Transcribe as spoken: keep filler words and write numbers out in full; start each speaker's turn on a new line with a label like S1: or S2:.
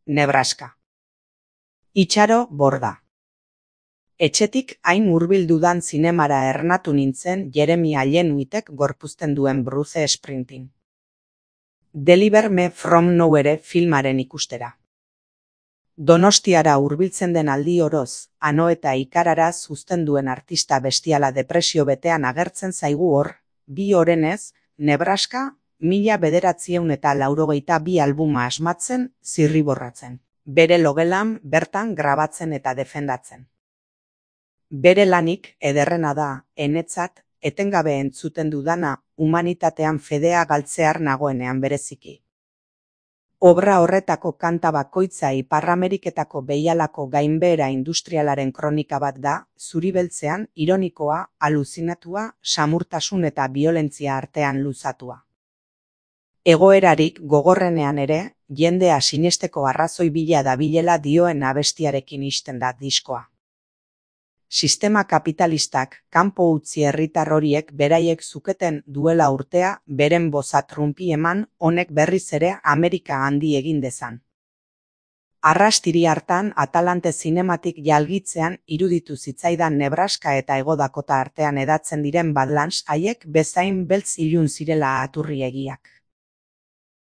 S1: Nebraska. Itxaro Borda. Etxetik hain hurbil dudan zinemara ernatu nintzen Jeremy Allen-Whitek gorpuzten duen Bruce Springsteen. Deliver Me From Nowhere filmaren ikustera. Donostiara hurbiltzen den aldi oroz, ano eta ikararaz uzten duen artista bestiala depresio betean agertzen zaigu hor, bi orenez, Nebraska, mila bederatziehun eta laurogeita bi albuma asmatzen, zirriborratzen. Bere logelan bertan grabatzen eta defendatzen. Bere lanik ederrena da, enetzat, etengabe entzuten dudana, humanitatean fedea galtzear nagoenean bereziki. Obra horretako kanta bakoitza Ipar Ameriketako behialako gainbehera industrialaren kronika bat da, zuri-beltzean, ironikoa, aluzinatua, samurtasun eta biolentzia artean luzatua. Egoerarik gogorrenean ere, jendea sinesteko arrazoi bila dabilela dioen abestiarekin ixten da diskoa. Sistema kapitalistak kanpo utzi herritar horiek beraiek zuketen duela urtea beren boza trumpi eman honek berriz ere Amerika handi egin dezan. Arrastiri hartan Atalante zinematik jalgitzean iruditu zitzaidan Nebraska eta Hego Dakota artean hedatzen diren Badlands haiek bezain beltz ilun zirela aturri egiak.